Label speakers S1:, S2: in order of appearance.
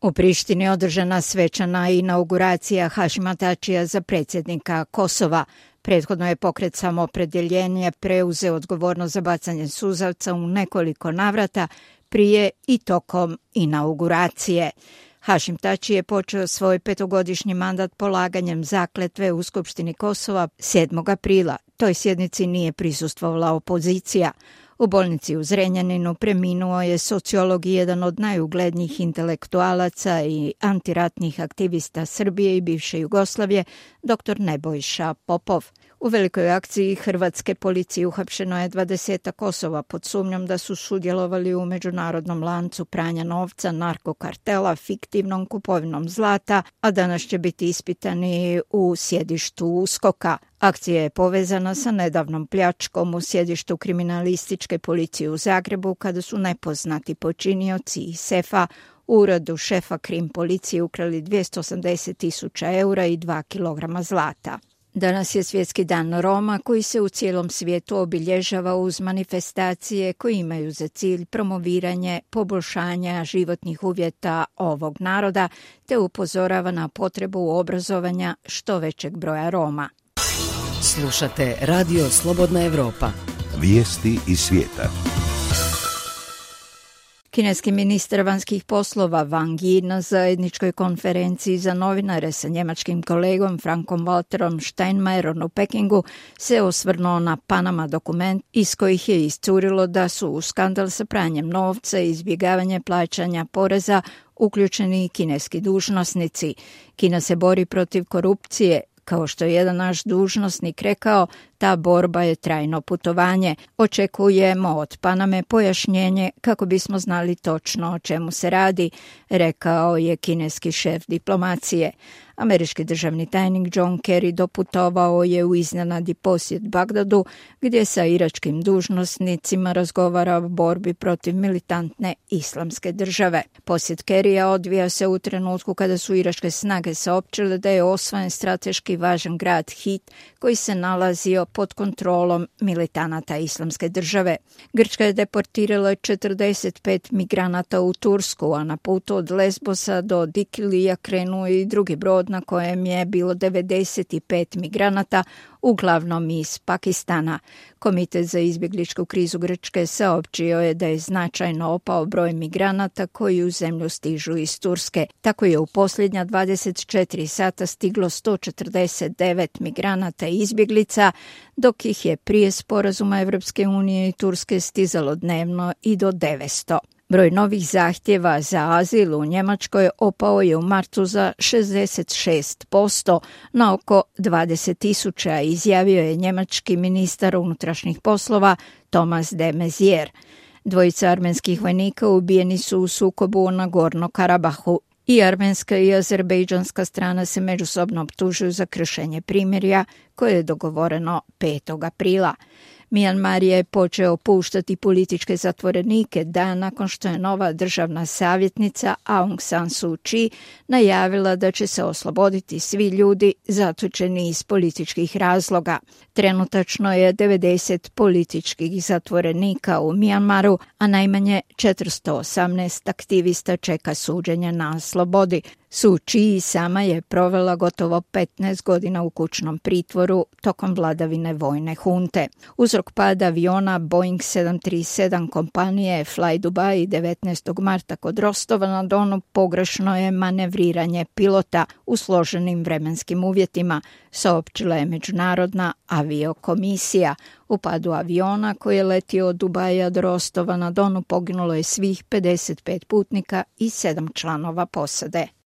S1: U Prištini je održana svečana inauguracija Hašima Tačija za predsjednika Kosova. Prethodno je pokret Samoopredjeljenje preuzeo odgovornost za bacanje suzavca u nekoliko navrata prije i tokom inauguracije. Hašim Tači je počeo svoj 5-godišnji mandat polaganjem zakletve u Skupštini Kosova 7. aprila. Toj sjednici nije prisustvovala opozicija. U bolnici u Zrenjaninu preminuo je sociolog i jedan od najuglednijih intelektualaca i antiratnih aktivista Srbije i bivše Jugoslavije, dr. Nebojša Popov. U velikoj akciji hrvatske policije uhapšeno je 20 osoba pod sumnjom da su sudjelovali u međunarodnom lancu pranja novca, narkokartela, fiktivnom kupovinom zlata, a danas će biti ispitani u sjedištu USKOK-a. Akcija je povezana sa nedavnom pljačkom u sjedištu kriminalističke policije u Zagrebu kada su nepoznati počinioci iz sefa u uredu šefa krim policije ukrali 280.000 eura i 2 kilograma zlata. Danas je Svjetski dan Roma koji se u cijelom svijetu obilježava uz manifestacije koje imaju za cilj promoviranje poboljšanja životnih uvjeta ovog naroda te upozorava na potrebu obrazovanja što većeg broja Roma.
S2: Slušate Radio Slobodna Evropa.
S3: Vijesti iz svijeta.
S1: Kineski ministar vanjskih poslova Wang Yi na zajedničkoj konferenciji za novinare sa njemačkim kolegom Frankom Walterom Steinmeierom u Pekingu se osvrnuo na Panama dokument iz kojih je iscurilo da su u skandal sa pranjem novca i izbjegavanje plaćanja poreza uključeni i kineski dužnosnici. Kina se bori protiv korupcije. Kao što je jedan naš dužnosnik rekao, ta borba je trajno putovanje. Očekujemo od Paname pojašnjenje kako bismo znali točno o čemu se radi, rekao je kineski šef diplomacije. Američki državni tajnik John Kerry doputovao je u iznenadni posjet Bagdadu, gdje sa iračkim dužnosnicima razgovara o borbi protiv militantne islamske države. Posjet Kerrya odvija se u trenutku kada su iračke snage saopćile da je osvojen strateški važan grad Hit, koji se nalazio pod kontrolom militanata islamske države. Grčka je deportirala 45 migranata u Tursku, a na putu od Lesbosa do Dikilija krenuo i drugi brod na kojem je bilo 95 migranata, uglavnom iz Pakistana. Komitet za izbjegličku krizu Grčke saopćio je da je značajno opao broj migranata koji u zemlju stižu iz Turske. Tako je u posljednja 24 sata stiglo 149 migranata i izbjeglica, dok ih je prije sporazuma Evropske unije i Turske stizalo dnevno i do 900. Broj novih zahtjeva za azil u Njemačkoj opao je u martu za 66% na oko 20.000, izjavio je njemački ministar unutrašnjih poslova Thomas de Maizière. Dvojica armenskih vojnika ubijeni su u sukobu u Nagorno-Karabahu. I armenska i azerbejdžanska strana se međusobno optužuju za kršenje primirja koje je dogovoreno 5. aprila. Myanmar je počeo puštati političke zatvorenike dan nakon što je nova državna savjetnica Aung San Suu Kyi najavila da će se osloboditi svi ljudi zatočeni iz političkih razloga. Trenutačno je 90 političkih zatvorenika u Myanmaru, a najmanje 418 aktivista čeka suđenje na slobodi. Suu Kyi sama je provela gotovo 15 godina u kućnom pritvoru tokom vladavine vojne hunte. Uzrok pada aviona Boeing 737 kompanije Fly Dubai 19. marta kod Rostova na Donu pogrešno je manevriranje pilota u složenim vremenskim uvjetima, saopćila je Međunarodna aviokomisija. U padu aviona koji je letio od Dubaja do Rostova na Donu poginulo je svih 55 putnika i 7 članova posade.